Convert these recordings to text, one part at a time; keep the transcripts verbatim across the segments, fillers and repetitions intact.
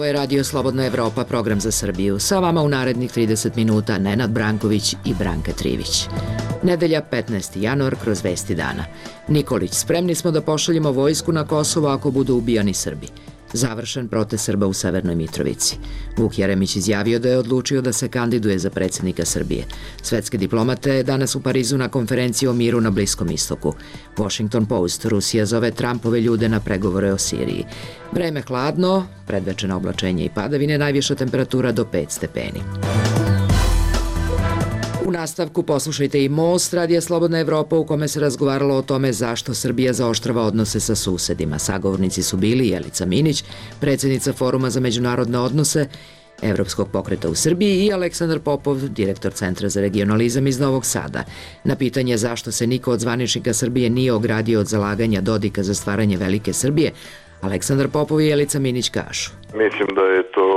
Ovo je Radio Slobodna Evropa, program za Srbiju. Sa vama u narednih trideset minuta Nenad Branković i Branka Trivić. Nedelja, petnaesti januar, kroz vesti dana. Nikolić, spremni smo da pošaljemo vojsku na Kosovo ako budu ubijani Srbi. Završen protest Srba u Severnoj Mitrovici. Vuk Jeremić izjavio da je odlučio da se kandiduje za predsjednika Srbije. Svetske diplomate danas u Parizu na konferenciji o miru na Bliskom istoku. Washington Post, Rusija zove Trumpove ljude na pregovore o Siriji. Vreme hladno, predvečeno oblačenje i padavine, najviša temperatura do pet stepeni. U nastavku poslušajte i Most, Radija Slobodna Evropa, u kome se razgovaralo o tome zašto Srbija zaoštrava odnose sa susedima. Sagovornici su bili Jelica Minić, predsjednica Foruma za međunarodne odnose Evropskog pokreta u Srbiji, i Aleksandar Popov, direktor Centra za regionalizam iz Novog Sada. Na pitanje zašto se niko od zvaničnika Srbije nije ogradio od zalaganja Dodika za stvaranje Velike Srbije, Aleksandar Popov i Jelica Minić kažu: Mislim da je to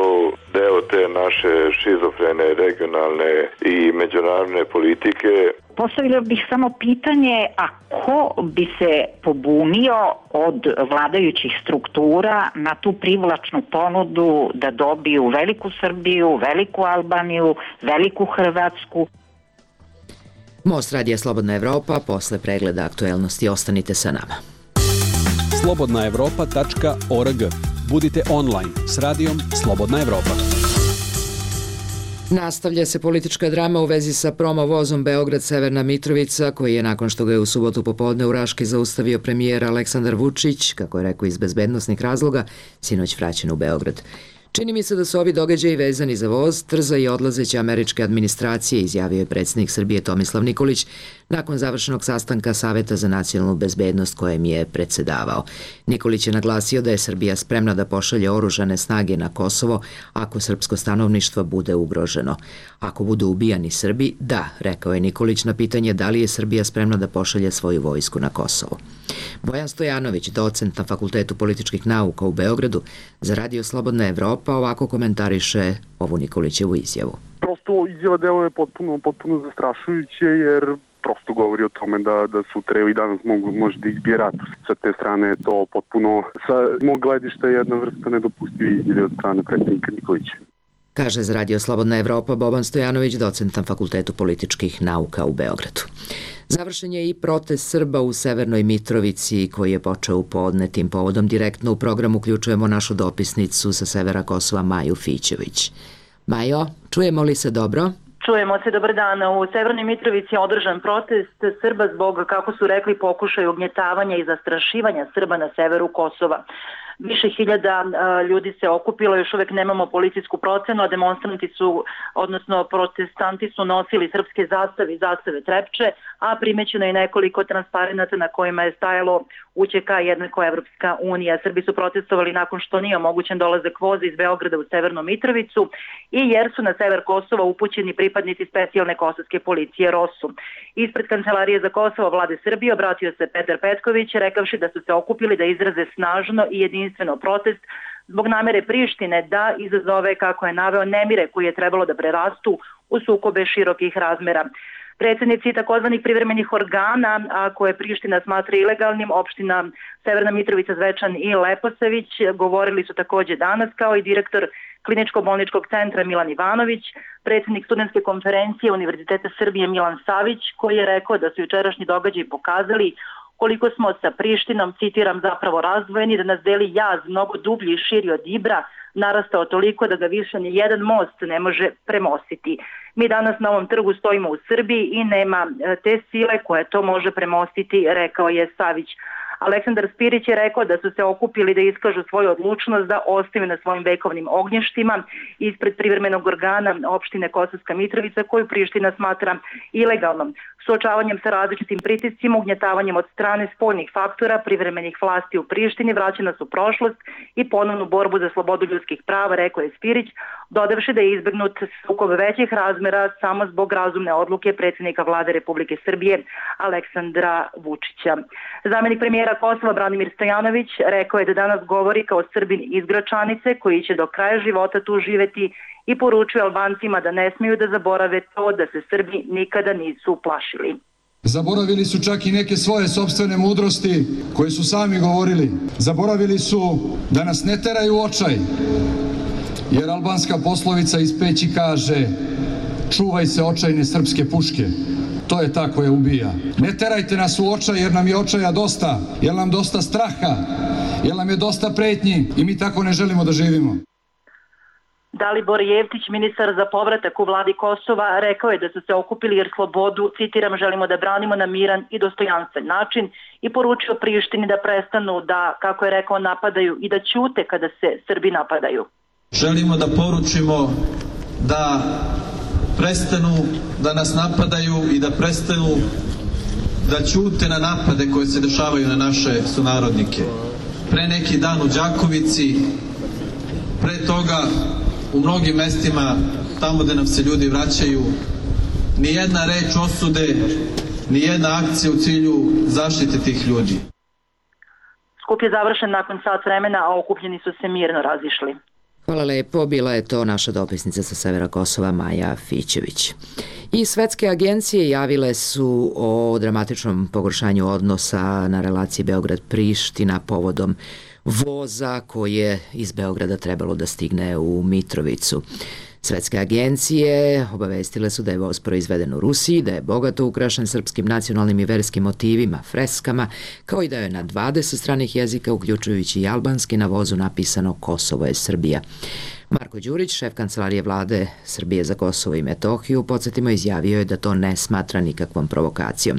deo te naše šizofrene regionalne i međunarodne politike. Postavila bih samo pitanje, a ko bi se pobunio od vladajućih struktura na tu privlačnu ponudu da dobiju Veliku Srbiju, Veliku Albaniju, Veliku Hrvatsku? Most, Radija Slobodna Evropa, posle pregleda aktuelnosti ostanite sa nama. slobodna evropa tačka org. Budite online s radijom Slobodna Evropa. Nastavlja se politička drama u vezi sa promo vozom Beograd-Severna Mitrovica, koji je, nakon što ga je u subotu popodne u Raški zaustavio premijer Aleksandar Vučić, kako je rekao iz bezbednosnih razloga, sinoć vraćen u Beograd. Čini mi se da su ovi događaji vezani za voz, trza i odlazeće američke administracije, izjavio je predsjednik Srbije Tomislav Nikolić nakon završenog sastanka Saveta za nacionalnu bezbednost kojem je predsedavao. Nikolić je naglasio da je Srbija spremna da pošalje oružane snage na Kosovo ako srpsko stanovništvo bude ugroženo. Ako budu ubijani Srbi, da, rekao je Nikolić na pitanje da li je Srbija spremna da pošalje svoju vojsku na Kosovo. Bojan Stojanović, docent na Fakultetu političkih nauka u Beogradu, za Radio Slobodna Evropa ovako komentariše ovu Nikolićevu izjavu. Prosto izjava deluje potpuno, potpuno zastrašujuće, jer prosto govori o tome da, da sutra i danas mogu možda izbije rat. Sa te strane je to potpuno, sa mog gledišta, jedna vrsta nedopustivih izjave od strane predsjednika Nikolića. Kaže za Radio Slobodna Evropa Boban Stojanović, docent na Fakultetu političkih nauka u Beogradu. Završen je i protest Srba u Severnoj Mitrovici koji je počeo u podne. Tim povodom direktno u program uključujemo našu dopisnicu sa severa Kosova, Maju Fićević. Majo, čujemo li se dobro? Čujemo se, dobar dan. U Severnoj Mitrovici je održan protest Srba zbog, kako su rekli, pokušaja ugnjetavanja i zastrašivanja Srba na severu Kosova. Više hiljada ljudi se okupilo, još uvek nemamo policijsku procenu, a demonstranti su, odnosno protestanti su nosili srpske zastave i zastave Trepče, a primećeno je nekoliko transparenata na kojima je stajalo U Ć K jednako Evropska unija. Srbi su protestovali nakon što nije omogućen dolazak voza iz Beograda u Severnu Mitrovicu i jer su na sever Kosova upućeni pripadnici specijalne kosovske policije ROSU. Ispred Kancelarije za Kosovo Vlade Srbije obratio se Petar Petković, rekavši da su se okupili da izraze snažno i jedinstveno protest zbog namere Prištine da izazove, kako je naveo, nemire koji je trebalo da prerastu u sukobe širokih razmera. Predsjednici takozvanih privremenih organa, a koje Priština smatra ilegalnim, opština Severna Mitrovica, Zvečan i Leposavić, govorili su takođe danas, kao i direktor Kliničko-bolničkog centra Milan Ivanović, predsjednik studentske konferencije Univerziteta Srbije Milan Savić, koji je rekao da su jučerašnji događaji pokazali koliko smo sa Prištinom, citiram, zapravo razdvojeni, da nas deli jaz mnogo dublji i širi od Ibra, narastao toliko da ga više ni jedan most ne može premostiti. Mi danas na ovom trgu stojimo u Srbiji i nema te sile koja to može premostiti, rekao je Savić. Aleksandar Spirić je rekao da su se okupili da iskažu svoju odlučnost da ostaju na svojim vekovnim ognjištima ispred privremenog organa opštine Kosovska Mitrovica, koju Priština smatra ilegalnom. Suočavanjem sa različitim pritiscima, ugnjetavanjem od strane spoljnih faktora, privremenih vlasti u Prištini vraćena su prošlost i ponovnu borbu za slobodu ljudskih prava, rekao je Spirić, dodavši da je izbegnut sukob većih razmera samo zbog razumne odluke predsjednika Vlade Republike Srbije Aleksandra Vučića. Zamenik premijera Kosova Branimir Stojanović rekao je da danas govori kao Srbin iz Gračanice koji će do kraja života tu živeti i poručuje Albancima da ne smiju da zaborave to da se Srbi nikada nisu plašili. Zaboravili su čak i neke svoje sopstvene mudrosti koje su sami govorili. Zaboravili su da nas ne teraju u očaj, Jer albanska poslovica iz Peći kaže: čuvaj se očajne srpske puške. To je ta koja ubija. Ne terajte nas u očaj jer nam je očaja dosta, jer nam dosta straha, jer nam je dosta pretnji i mi tako ne želimo da živimo. Dalibor Jevtić, ministar za povratak u vladi Kosova, rekao je da su se okupili jer slobodu, citiram, želimo da branimo na miran i dostojanstven način i poručio Prištini da prestanu da, kako je rekao, napadaju i da ćute kada se Srbi napadaju. Želimo da poručimo da prestanu da nas napadaju i da prestanu da ćute na napade koje se dešavaju na naše sunarodnike. Pre neki dan u Đakovici, pre toga u mnogim mestima tamo gde nam se ljudi vraćaju, ni jedna reč osude, ni jedna akcija u cilju zaštite tih ljudi. Skup je završen nakon sat vremena, a okupljeni su se mirno razišli. Hvala lepo, bila je to naša dopisnica sa severa Kosova Maja Fićević. I svetske agencije javile su o dramatičnom pogoršanju odnosa na relaciji Beograd-Priština povodom voza koje iz Beograda trebalo da stigne u Mitrovicu. Svetske agencije obavestile su da je voz proizveden u Rusiji, da je bogato ukrašen srpskim nacionalnim i verskim motivima, freskama, kao i da je na dvadeset stranih jezika, uključujući i albanski, na vozu napisano Kosovo je Srbija. Marko Đurić, šef kancelarije vlade Srbije za Kosovo i Metohiju, podsjetimo, izjavio je da to ne smatra nikakvom provokacijom.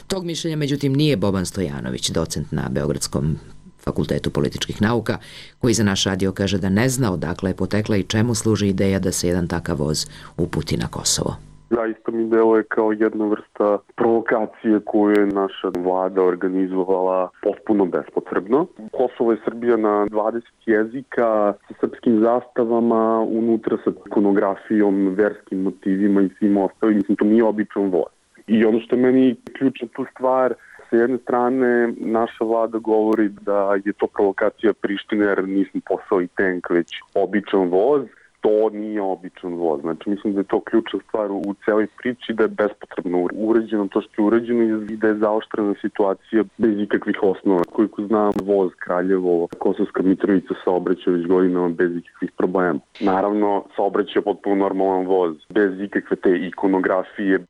Tog mišljenja, međutim, nije Boban Stojanović, docent na Beogradskom Fakultetu političkih nauka, koji za naš radio kaže da ne zna odakle je potekla i čemu služi ideja da se jedan takav voz uputi na Kosovo. Zaista mi deluje kao jedna vrsta provokacije koju je naša vlada organizovala potpuno bespotrebno. Kosovo je Srbija na dvadeset jezika, sa srpskim zastavama, unutra sa ikonografijom, verskim motivima i svim ostalim. Mislim, to nije običan voz. I ono što je meni ključna tu stvar, s jedne strane, naša vlada govori da je to provokacija Prištine jer nismo poslali tank, već običan voz. To nije običan voz. Znači, mislim da je to ključna stvar u celoj priči, da je bespotrebno urađeno to što je urađeno i da je zaoštrena situacija bez ikakvih osnova. Koliko znam, voz Kraljevo, Kosovska Mitrovica saobraća već godinama bez ikakvih problema. Naravno, saobraća potpuno normalan voz, bez ikakve te ikonografije.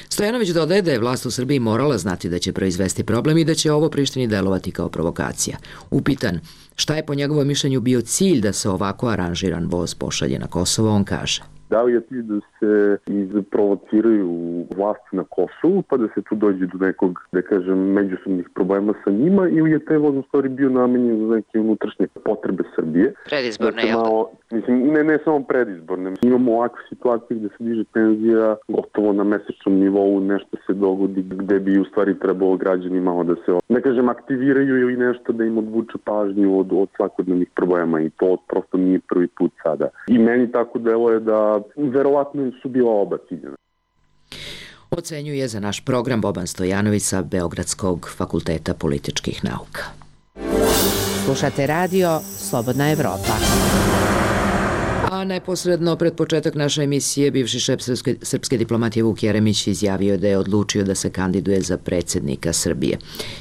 Stojanović dodaje da je vlast u Srbiji morala znati da će proizvesti problem i da će ovo Prištini delovati kao provokacija. Upitan šta je po njegovom mišljenju bio cilj da se ovako aranžiran voz pošalje na Kosovo, on kaže: Da li je cilj da se izprovociraju vlasti na Kosovu, pa da se tu dođe do nekog, da kažem, međusobnih problema sa njima, ili je taj voz u stvari bio namenjen za neke unutrašnje potrebe Srbije? Predizborne, jel da? Mislim, ne, ne samo predizborne. Imamo ovakve situacije gde se diže penzija gotovo na mesečnom nivou, nešto se dogodi gde bi u stvari trebalo građani malo da se, ne kažem, aktiviraju ili nešto da im odvuče pažnju od, od svakodnevnih problema i to prosto nije prvi put sada. I meni tako deluje da verovatno su bila oba ciljena. Ocenjuje za naš program Boban Stojanović sa Beogradskog fakulteta političkih nauka. Slušate radio Slobodna Evropa. A neposredno pred početak naše emisije bivši šef srpske, srpske diplomatije Vuk Jeremić izjavio da je odlučio da se kandiduje za predsjednika Srbije.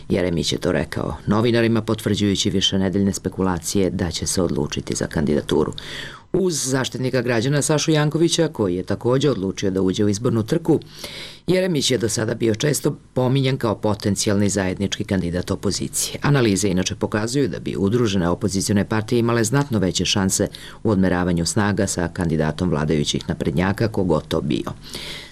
Jeremić je to rekao novinarima, potvrđujući višenedeljne spekulacije da će se odlučiti za kandidaturu. Uz zaštitnika građana Sašu Jankovića, koji je također odlučio da uđe u izbornu trku, Jeremić je do sada bio često pominjan kao potencijalni zajednički kandidat opozicije. Analize inače pokazuju da bi udružene opozicione partije imale znatno veće šanse u odmeravanju snaga sa kandidatom vladajućih naprednjaka, kogod to bio.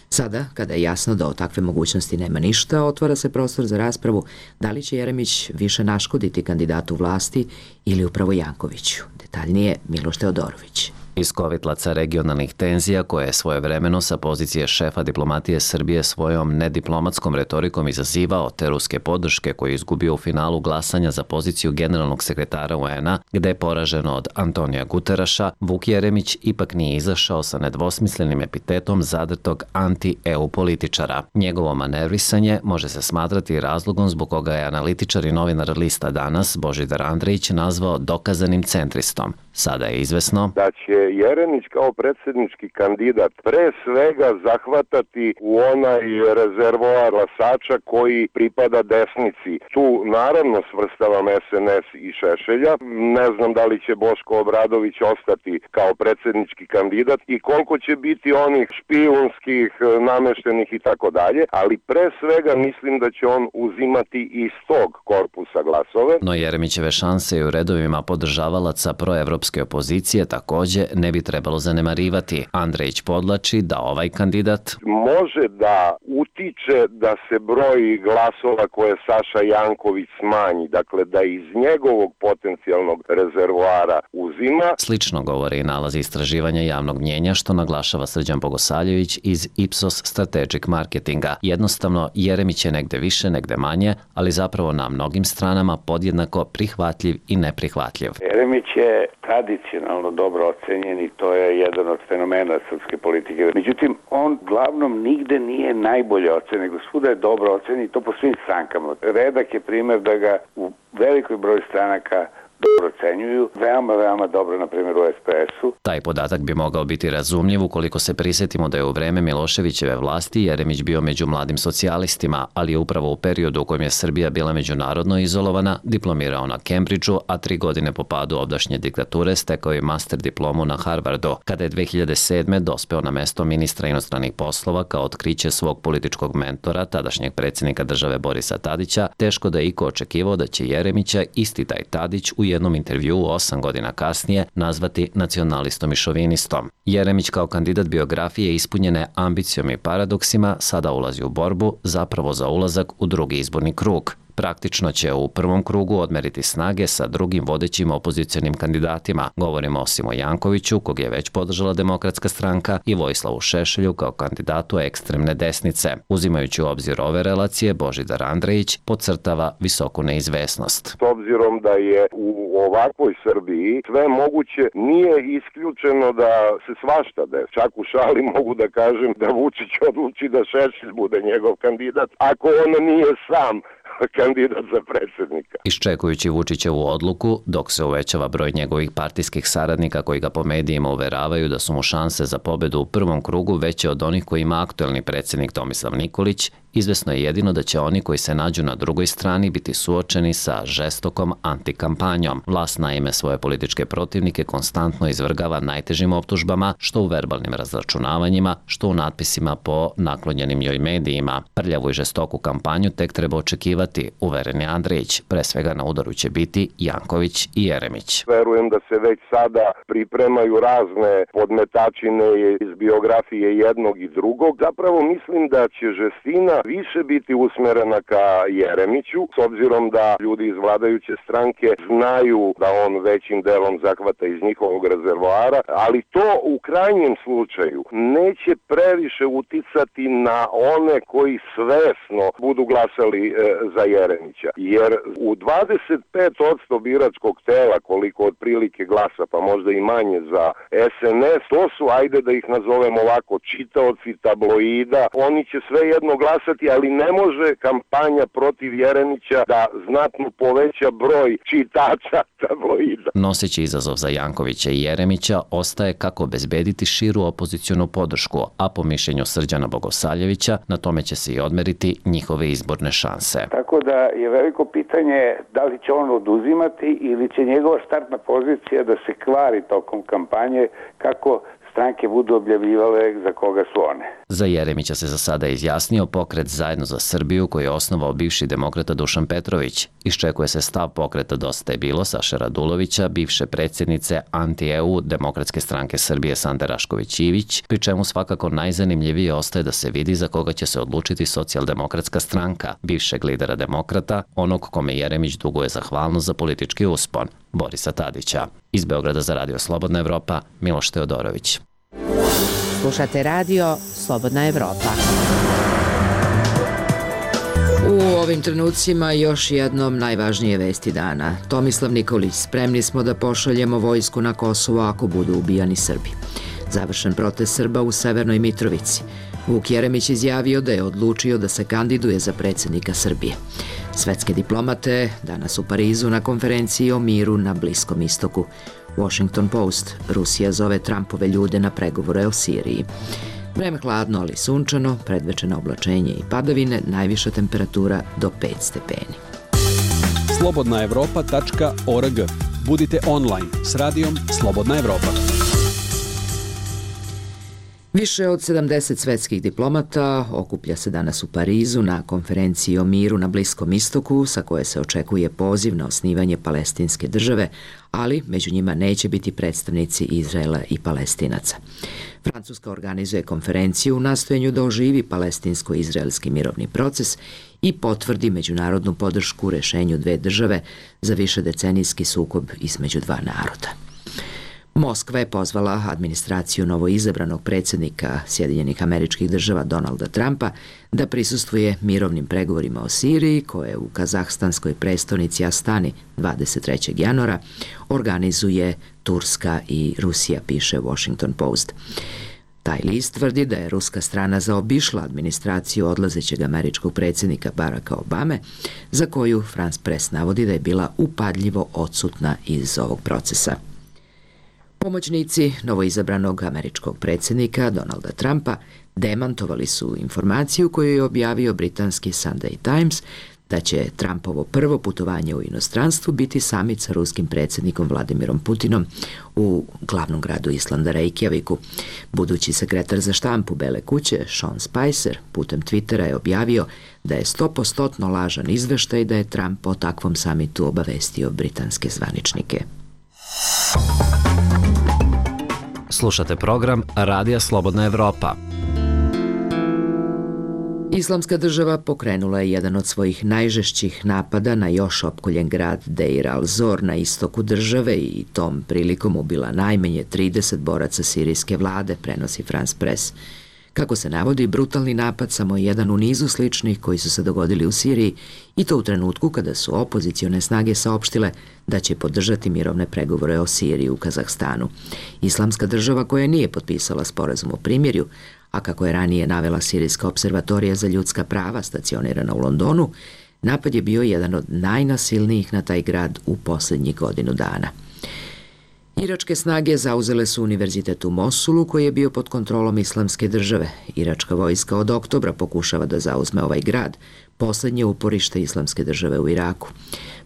Sada, kada je jasno da od takve mogućnosti nema ništa, otvara se prostor za raspravu da li će Jeremić više naškoditi kandidatu vlasti ili upravo Jankoviću. Detaljnije Miloš Teodorović. Iz kovitlaca regionalnih tenzija koje je svojevremeno sa pozicije šefa diplomatije Srbije svojom nediplomatskom retorikom izazivao te ruske podrške koje je izgubio u finalu glasanja za poziciju generalnog sekretara U N A, gde je poraženo od Antonija Guteraša, Vuk Jeremić ipak nije izašao sa nedvosmislenim epitetom zadrtog anti-E U političara. Njegovo manevrisanje može se smatrati razlogom zbog koga je analitičar i novinar lista Danas Božidar Andrejić nazvao dokazanim centristom. Sada je izvesno da će Jeremić kao predsjednički kandidat pre svega zahvatati u onaj rezervoar glasača koji pripada desnici. Tu naravno svrstavam S N S i Šešelja. Ne znam da li će Boško Obradović ostati kao predsjednički kandidat i koliko će biti onih špijunskih, nameštenih i tako dalje, ali pre svega mislim da će on uzimati iz tog korpusa glasove. No Jeremićeve šanse i u redovima podržavalaca proevropske opozicije takođe ne bi trebalo zanemarivati. Andrejić podlači da ovaj kandidat može da utiče da se broj glasova koje Saša Janković smanji, dakle da iz njegovog potencijalnog rezervoara uzima. Slično govori i nalazi istraživanja javnog mnjenja što naglašava Srđan Bogosavljević iz Ipsos Strategic Marketinga. Jednostavno, Jeremić je negde više, negde manje, ali zapravo na mnogim stranama podjednako prihvatljiv i neprihvatljiv. Jeremić je tradicionalno dobro ocenjen i to je jedan od fenomena srpske politike. Međutim, on glavnom nigde nije najbolje ocen, nego svuda je dobro ocen i to po svim strankama. Redak je primer da ga u velikoj broj stranaka dobro ocenjuju, veoma, veoma dobro, na primjer, u S P S-u. Taj podatak bi mogao biti razumljiv ukoliko se prisjetimo da je u vreme Miloševićeve vlasti Jeremić bio među mladim socijalistima, ali je upravo u periodu u kojem je Srbija bila međunarodno izolovana, diplomirao na Cambridgeu, a tri godine po padu ovdašnje diktature stekao je master diplomu na Harvardu. Kada je dve hiljade sedme dospeo na mesto ministra inostranih poslova kao otkriće svog političkog mentora, tadašnjeg predsjednika države Borisa Tadića, teško da je iko očekivao da će Jeremića isti taj Tadić u jednom intervjuu osam godina kasnije nazvati nacionalistom i šovinistom. Jeremić kao kandidat biografije ispunjene ambicijom i paradoksima sada ulazi u borbu zapravo za ulazak u drugi izborni krug. Praktično će u prvom krugu odmeriti snage sa drugim vodećim opozicionim kandidatima. Govorimo o Simo Jankoviću, kog je već podržala Demokratska stranka, i Vojislavu Šešelju kao kandidatu ekstremne desnice. Uzimajući u obzir ove relacije, Božidar Andrejić podcrtava visoku neizvesnost. S obzirom da je u ovakvoj Srbiji sve moguće, nije isključeno da se svašta desi. Čak u šali mogu da kažem da Vučić odluči da Šešelj bude njegov kandidat, ako on nije sam kandidat za predsjednika. Iščekujući Vučićevu odluku, dok se uvećava broj njegovih partijskih saradnika koji ga po medijima uveravaju da su mu šanse za pobedu u prvom krugu veće od onih koji ima aktuelni predsjednik Tomislav Nikolić, izvesno je jedino da će oni koji se nađu na drugoj strani biti suočeni sa žestokom antikampanjom. Vlast naime svoje političke protivnike konstantno izvrgava najtežim optužbama, što u verbalnim razračunavanjima, što u natpisima po naklonjenim joj medijima. Prljavu i žestoku kampanju tek treba očekivati, uveren je Andrejić. Pre svega na udaru će biti Janković i Jeremić. Verujem da se već sada pripremaju razne podmetačine iz biografije jednog i drugog. Zapravo mislim da će žestina više biti usmerena ka Jeremiću, s obzirom da ljudi iz vladajuće stranke znaju da on većim delom zahvata iz njihovog rezervoara, ali to u krajnjem slučaju neće previše uticati na one koji svesno budu glasali e, za Jeremića. Jer u dvadeset pet posto biračkog tela, koliko otprilike glasa, pa možda i manje za S N S, to su, ajde da ih nazovemo ovako, čitaoci tabloida, oni će svejedno glasati, ali ne može kampanja protiv Jeremića da znatno poveća broj čitača tabloida. Noseći izazov za Jankovića i Jeremića ostaje kako obezbediti širu opozicionu podršku, a po mišljenju Srđana Bogosavljevića na tome će se i odmeriti njihove izborne šanse. Tako da je veliko pitanje da li će on oduzimati ili će njegova startna pozicija da se kvari tokom kampanje kako stranke budu objavljivale za koga su one. Za Jeremića se za sada izjasnio pokret Zajedno za Srbiju koji je osnovao bivši demokrata Dušan Petrović. Iščekuje se stav pokreta Dosta je bilo Saše Radulovića, bivše predsjednice anti-E U Demokratske stranke Srbije Sande Rašković-Ivić, pri čemu svakako najzanimljivije ostaje da se vidi za koga će se odlučiti Socijaldemokratska stranka, bivšeg lidera demokrata, onog kome Jeremić duguje zahvalnost za politički uspon, Borisa Tadića. Iz Beograda za Radio Slobodna Evropa, Miloš Teodorović. Slušate radio Slobodna Evropa. U ovim trenucima još jednom najvažnije vesti dana. Tomislav Nikolić, spremni smo da pošaljemo vojsku na Kosovo ako budu ubijani Srbi. Završen protest Srba u Severnoj Mitrovici. Vuk Jeremić izjavio da je odlučio da se kandiduje za predsjednika Srbije. Svetske diplomate danas u Parizu na konferenciji o miru na Bliskom istoku. Washington Post. Rusija zove Trumpove ljude na pregovore o Siriji. Vreme hladno, ali sunčano, predvečeno oblačenje i padavine, najviša temperatura do pet stepeni. slobodna evropa tačka org. Budite online s radijom Slobodna Evropa. Više od sedamdeset svetskih diplomata okuplja se danas u Parizu na konferenciji o miru na Bliskom istoku, sa koje se očekuje poziv na osnivanje palestinske države, ali među njima neće biti predstavnici Izraela i Palestinaca. Francuska organizuje konferenciju u nastojanju da oživi palestinsko-izraelski mirovni proces i potvrdi međunarodnu podršku rešenju dve države za višedecenijski sukob između dva naroda. Moskva je pozvala administraciju novoizabranog predsjednika Sjedinjenih Američkih Država Donalda Trumpa da prisustvuje mirovnim pregovorima o Siriji, koje u kazahstanskoj prestonici Astani dvadeset trećeg januara organizuje Turska i Rusija, piše Washington Post. Taj list tvrdi da je ruska strana zaobišla administraciju odlazećeg američkog predsjednika Baracka Obame, za koju France Press navodi da je bila upadljivo odsutna iz ovog procesa. Pomoćnici novoizabranog američkog predsjednika Donalda Trumpa demantovali su informaciju koju je objavio britanski Sunday Times da će Trumpovo prvo putovanje u inostranstvu biti samit sa ruskim predsjednikom Vladimirom Putinom u glavnom gradu Islanda Reykjaviku. Budući sekretar za štampu Bele kuće Sean Spicer putem Twittera je objavio da je sto posto lažan izveštaj da je Trump o takvom samitu obavestio britanske zvaničnike. Slušate program Radija Slobodna Evropa. Islamska država pokrenula je jedan od svojih najžešćih napada na još opkoljen grad Deir al-Zor na istoku države i tom prilikom ubila najmanje trideset boraca sirijske vlade, prenosi France Press. Kako se navodi, brutalni napad samo je jedan u nizu sličnih koji su se dogodili u Siriji i to u trenutku kada su opozicione snage saopštile da će podržati mirovne pregovore o Siriji u Kazahstanu. Islamska država, koja nije potpisala sporazum o primirju, a kako je ranije navela Sirijska observatorija za ljudska prava stacionirana u Londonu, napad je bio jedan od najnasilnijih na taj grad u posljednjih godinu dana. Iračke snage zauzele su univerzitet u Mosulu, koji je bio pod kontrolom Islamske države. Iračka vojska od oktobra pokušava da zauzme ovaj grad, poslednje uporište Islamske države u Iraku.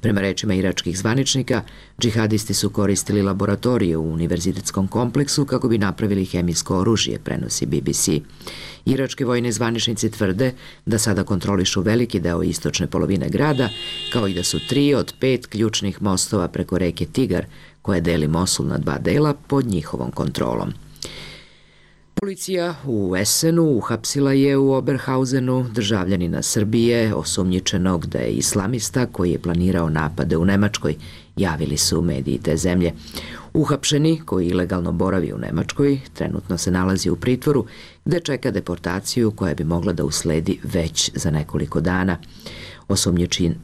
Prema rečima iračkih zvaničnika, džihadisti su koristili laboratorije u univerzitetskom kompleksu kako bi napravili hemijsko oružje, prenosi B B C. Irački vojni zvaničnici tvrde da sada kontrolišu veliki deo istočne polovine grada, kao i da su tri od pet ključnih mostova preko reke Tigar, koja deli Mosul na dva dela, pod njihovom kontrolom. Policija u Essenu uhapsila je u Oberhausenu državljanina Srbije, osumnjičenog da je islamista koji je planirao napade u Nemačkoj, javili su mediji te zemlje. Uhapšeni, koji ilegalno boravi u Nemačkoj, trenutno se nalazi u pritvoru, gde čeka deportaciju koja bi mogla da usledi već za nekoliko dana.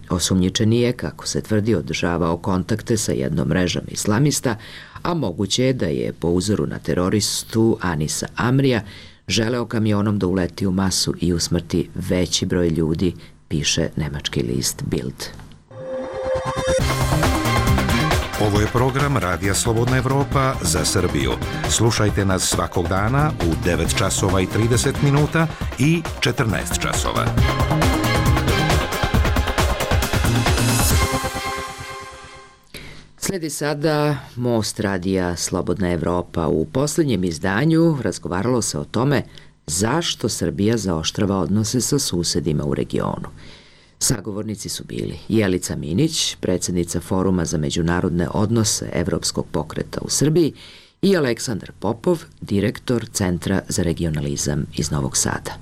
Osumnjičeni je, kako se tvrdi, održavao kontakte sa jednom mrežom islamista, a moguće je da je po uzoru na teroristu Anisa Amrija želeo kamionom da uleti u masu i usmrti veći broj ljudi, piše nemački list Bild. Ovo je program Radija Slobodna Evropa za Srbiju. Slušajte nas svakog dana u devet časova i trideset minuta i četrnaest časova. Sledi sada Most radija Slobodna Evropa. U posljednjem izdanju razgovaralo se o tome zašto Srbija zaoštrava odnose sa susedima u regionu. Sagovornici su bili Jelica Minić, predsjednica Foruma za međunarodne odnose Evropskog pokreta u Srbiji, i Aleksandar Popov, direktor Centra za regionalizam iz Novog Sada.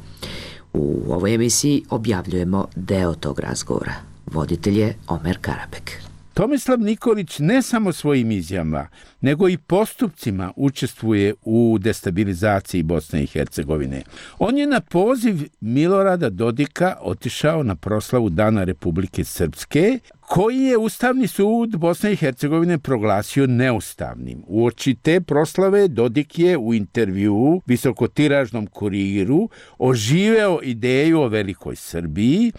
U ovoj emisiji objavljujemo deo tog razgovora. Voditelj je Omer Karabek. Tomislav Nikolić ne samo svojim izjavama, nego i postupcima učestvuje u destabilizaciji Bosne i Hercegovine. On je na poziv Milorada Dodika otišao na proslavu Dana Republike Srpske, koji je Ustavni sud Bosne i Hercegovine proglasio neustavnim. Uoči te proslave Dodik je u intervjuu visokotiražnom Kuriru oživeo ideju o velikoj Srbiji,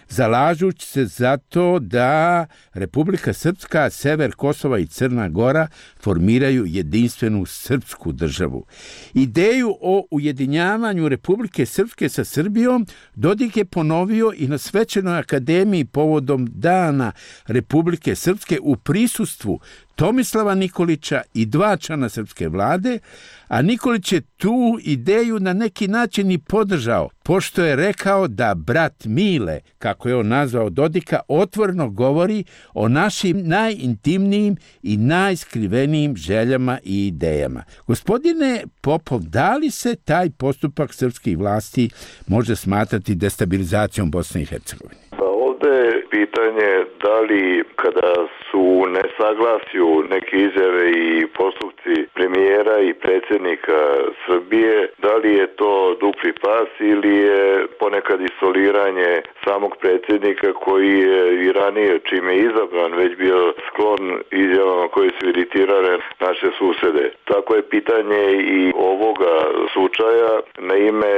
zalažući se za to da Republika Srpska, sever Kosova i Crna Gora formiraju jedinstvenu srpsku državu. Ideju o ujedinjavanju Republike Srpske sa Srbijom Dodik je ponovio i na Svečanoj akademiji povodom Dana Republike Srpske u prisustvu Tomislava Nikolića i dva člana srpske vlade, a Nikolić je tu ideju na neki način i podržao, pošto je rekao da brat Mile, kako je on nazvao Dodika, otvoreno govori o našim najintimnijim i najskrivenijim željama i idejama. Gospodine Popov, da li se taj postupak srpskih vlasti može smatrati destabilizacijom Bosne i Hercegovine? Pa ovde je pitanje da li kada su u nesaglasju neke izjave i postupci premijera i predsjednika Srbije, da li je to dupli pas ili je ponekad isoliranje samog predsjednika koji je i ranije, čime je izabran, već bio sklon izjavama koje su iritirale naše susede. Tako je pitanje i ovoga slučaja. Na ime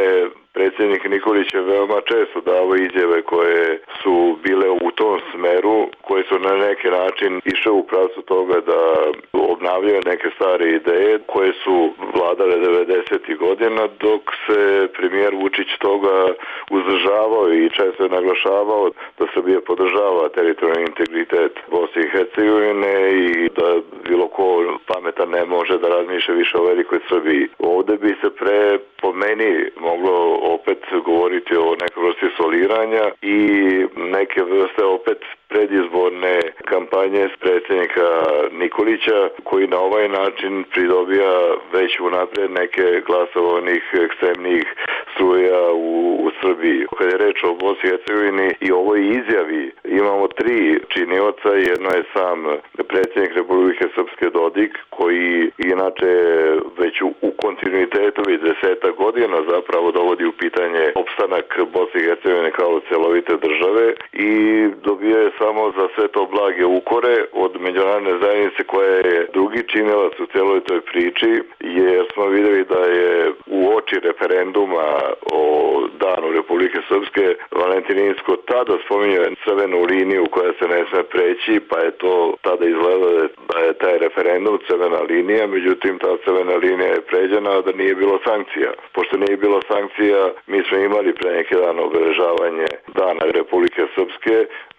predsjednik Nikolić je veoma često dao izjave koje su bile u tom smeru, koje su na neki način išle u pravcu toga da obnavljaju neke stare ideje koje su vladale devedesetih godina, dok se premijer Vučić toga uzdržavao i često je naglašavao da Srbija podržava teritorijalni integritet Bosne i Hercegovine i da bilo ko pametan ne može da razmišlja više o velikoj Srbiji. Ovde bi se pre po meni moglo opet govoriti o nekoj vrsti soliranja i neke vrste opet predizborne kampanje s predsjednika Nikolića, koji na ovaj način pridobija već unaprijed neke glasove onih ekstremnih struja u, u Srbiji. Kad je reč o Bosni i Hercegovini i ovoj izjavi, imamo tri činioca. Jedno je sam predsjednik Republike Srpske Dodik, koji inače već u, u kontinuitetu već deseta godina zapravo dovodi u pitanje opstanak Bosne i Hercegovine kao celovite države i dobio je samo za sve to blage ukore od međunarodne zajednice koja je drugi činilac u celoj toj priči, jer smo vidjeli da je u oči referenduma o Danu Republike Srpske Valentin Inzko tada spominjao crvenu liniju koja se ne sme preći, pa je to tada izgledalo da je taj referendum crvena linija, međutim ta crvena linija je pređena, a da nije bilo sankcija. Pošto nije bilo sankcija, mi smo imali pre neki dan obeležavanje Dana Republike Srpske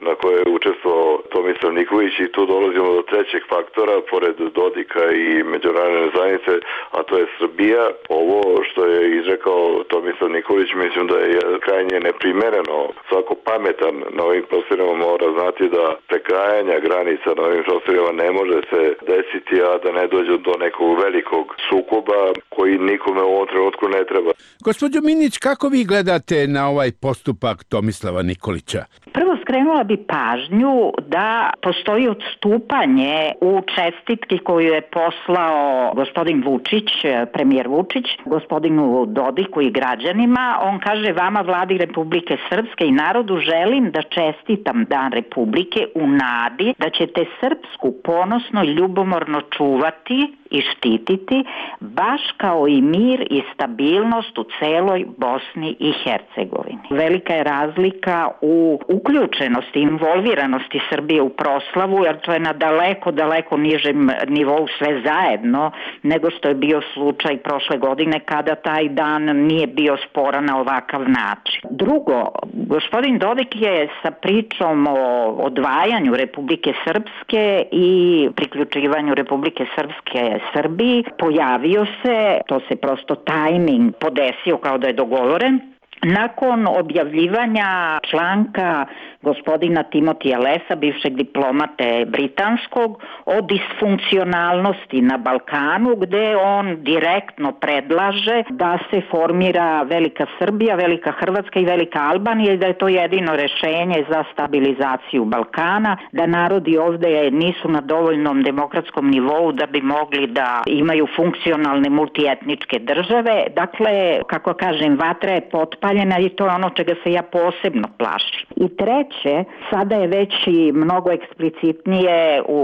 na koje je učestvovao Tomislav Nikolić i tu dolazimo do trećeg faktora, pored Dodika i međunarodne zajednice, a to je Srbija. Ovo što je izrekao Tomislav Nikolić, mislim da je krajnje neprimereno. Svako pametan na ovim prostorima mora znati da prekrajanja granica na ovim prostorima ne može se desiti, a da ne dođe do nekog velikog sukoba koji nikome u ovom trenutku ne treba. Gospođo Minić, kako vi gledate na ovaj postupak Tomislava Nikolića? Prvo skrenula bi pažnju da postoji odstupanje u čestitki koju je poslao gospodin Vučić, premijer Vučić, gospodinu Dodiku i građanima. On kaže: vama, Vladi Republike Srpske i narodu, želim da čestitam Dan Republike u nadi da ćete srpsku ponosno i ljubomorno čuvati i štititi, baš kao i mir i stabilnost u celoj Bosni i Hercegovini. Velika je razlika u uključenosti, involviranosti Srbije u proslavu, jer to je na daleko, daleko nižem nivou sve zajedno nego što je bio slučaj prošle godine kada taj dan nije bio sporan na ovakav način. Drugo, gospodin Dodik je sa pričom o odvajanju Republike Srpske i priključivanju Republike Srpske Srbiji pojavio se, to se prosto tajming podesio kao da je dogovoren, nakon objavljivanja članka gospodina Timotija Lesa, bivšeg diplomate britanskog, o disfunkcionalnosti na Balkanu, gde on direktno predlaže da se formira Velika Srbija, Velika Hrvatska i Velika Albanija i da je to jedino rešenje za stabilizaciju Balkana, da narodi ovde nisu na dovoljnom demokratskom nivou da bi mogli da imaju funkcionalne multietničke države. Dakle, kako kažem, vatra je potpaljena i to je ono čega se ja posebno plašim. I treće, treće, sada je već i mnogo eksplicitnije u,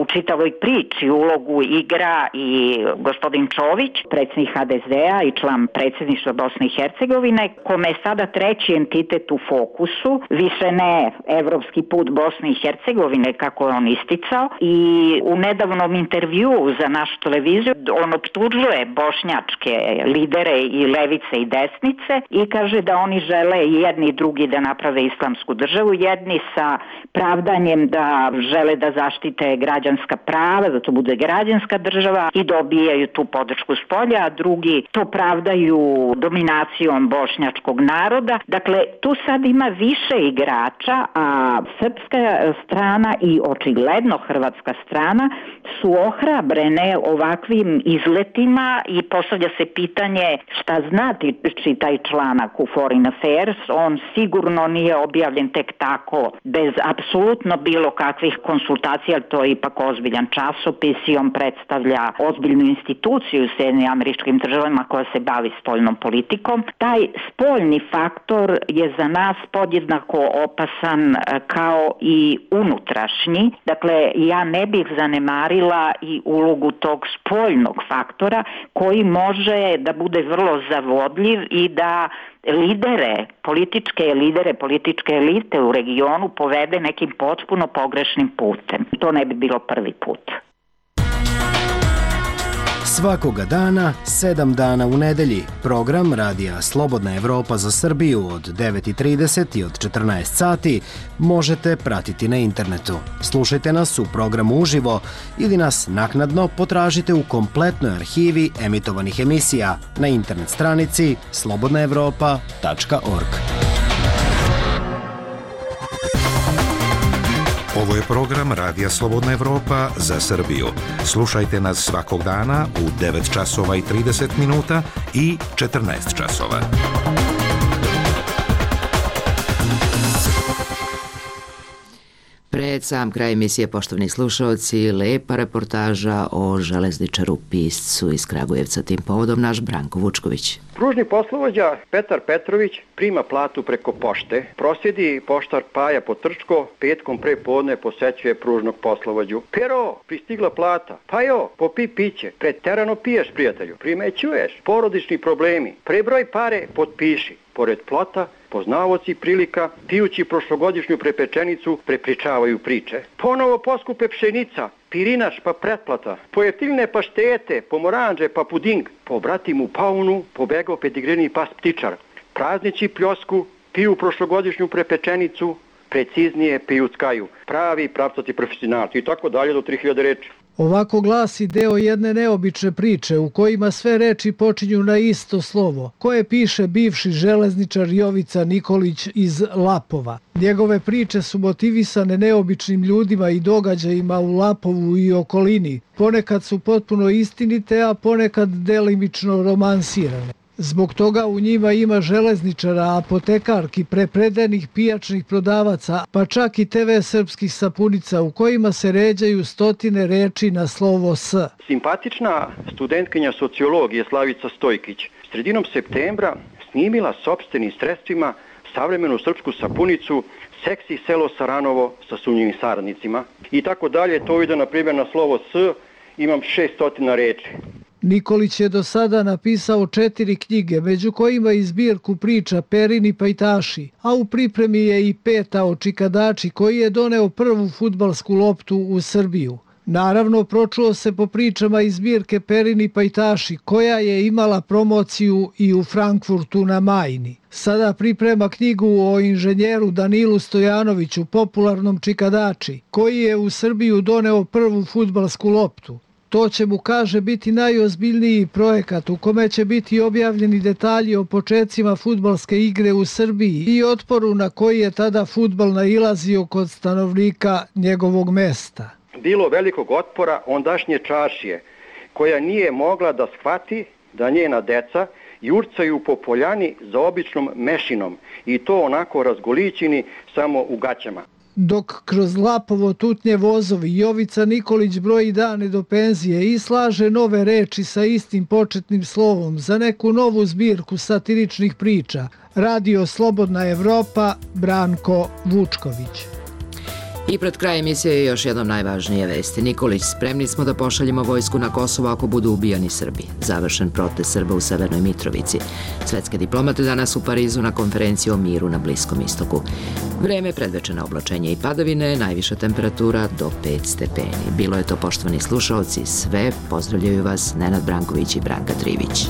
u čitavoj priči ulogu igra i gospodin Čović, predsjednik ha de zea i član predsjedništva Bosne i Hercegovine, kome je sada treći entitet u fokusu, više ne evropski put Bosne i Hercegovine kako je on isticao, i u nedavnom intervjuu za našu televiziju on optužuje bošnjačke lidere i levice i desnice i kaže da oni žele jedni i drugi da naprave islamsku državu, jedni sa pravdanjem da žele da zaštite građanska prava, da to bude građanska država i dobijaju tu podršku s polja, a drugi to pravdaju dominacijom bošnjačkog naroda. Dakle, tu sad ima više igrača, a srpska strana i očigledno hrvatska strana su ohrabrene ovakvim izletima i postavlja se pitanje šta znači taj članak u Foreign Affairs. On sigurno nije objavljen tek tako, bez apsolutno bilo kakvih konsultacija, ali to je ipak ozbiljan časopis i on predstavlja ozbiljnu instituciju u Sjedinjenim Američkim Državama koja se bavi spoljnom politikom. Taj spoljni faktor je za nas podjednako opasan kao i unutrašnji. Dakle, ja ne bih zanemarila i ulogu tog spoljnog faktora koji može da bude vrlo zavodljiv i da lidere, političke lidere, političke elite u regionu povede nekim potpuno pogrešnim putem. To ne bi bilo prvi put. Svakoga dana, sedam dana u nedelji, program Radija Slobodna Evropa za Srbiju od devet i trideset i od četrnaest sati možete pratiti na internetu. Slušajte nas u programu uživo ili nas naknadno potražite u kompletnoj arhivi emitovanih emisija na internet stranici slobodna evropa tačka org. Ovo je program Radija Slobodna Evropa za Srbiju. Slušajte nas svakog dana u devet časova i trideset minuta i četrnaest časova. Pred sam kraj emisije, poštovni slušalci, lepa reportaža o železničaru piscu iz Kragujevca. Tim povodom naš Branko Vučković. Pružni poslovođa Petar Petrović prima platu preko pošte. Prosjedi poštar Paja Potrčko petkom pre podne posećuje pružnog poslovođu. Pero, pristigla plata. Pajo, popi piće. Preterano piješ, prijatelju. Primećuješ. Porodični problemi. Prebroj pare, potpiši. Pored plota, poznavoci prilika, pijući prošlogodišnju prepečenicu, prepričavaju priče. Ponovo poskupe pšenica, pirinaš pa pretplata, pojeftiljne paštete, pomoranđe pa puding, po bratimu paunu, pobegao pedigreni pas ptičar. Praznici pljosku, piju prošlogodišnju prepečenicu, preciznije piju skaju. Pravi pravcati profesionalci i tako dalje do tri hiljade reči. Ovako glasi deo jedne neobične priče u kojima sve reči počinju na isto slovo, koje piše bivši železničar Jovica Nikolić iz Lapova. Njegove priče su motivisane neobičnim ljudima i događajima u Lapovu i okolini. Ponekad su potpuno istinite, a ponekad delimično romansirane. Zbog toga u njima ima železničara, apotekarki, prepredenih pijačnih prodavaca, pa čak i te ve srpskih sapunica u kojima se ređaju stotine reči na slovo S. Simpatična studentkinja sociologije Slavica Stojkić sredinom septembra snimila sopstvenim sredstvima savremenu srpsku sapunicu Seksi selo Saranovo sa sumnjivim saradnicima i tako dalje. To ide na primjer na slovo S, imam šeststotina reči. Nikolić je do sada napisao četiri knjige, među kojima i zbirku priča Perini pajtaši, a u pripremi je i peta o Čikadači koji je doneo prvu fudbalsku loptu u Srbiju. Naravno, pročuo se po pričama iz zbirke Perini pajtaši, koja je imala promociju i u Frankfurtu na Majni. Sada priprema knjigu o inženjeru Danilu Stojanoviću, popularnom Čikadači, koji je u Srbiju doneo prvu fudbalsku loptu. To će mu, kaže, biti najozbiljniji projekat u kome će biti objavljeni detalji o počecima fudbalske igre u Srbiji i otporu na koji je tada fudbal nailazio kod stanovnika njegovog mesta. Bilo velikog otpora ondašnje čaršije, koja nije mogla da shvati da njena deca jurcaju po poljani za običnom mešinom i to onako razgolićeni samo u gaćama. Dok kroz Lapovo tutnje vozovi, Jovica Nikolić broji dane do penzije i slaže nove reči sa istim početnim slovom za neku novu zbirku satiričnih priča. Radio Slobodna Evropa, Branko Vučković. I pred kraj emisije još jednom najvažnije vesti. Nikolić, spremni smo da pošaljemo vojsku na Kosovo ako budu ubijani Srbi. Završen protest Srba u Severnoj Mitrovici. Svetske diplomate danas u Parizu na konferenciji o miru na Bliskom istoku. Vreme, predvečerna oblačenje i padavine, najviša temperatura do pet stepeni. Bilo je to, poštovani slušaoci, sve. Pozdravljaju vas Nenad Branković i Branka Trivić.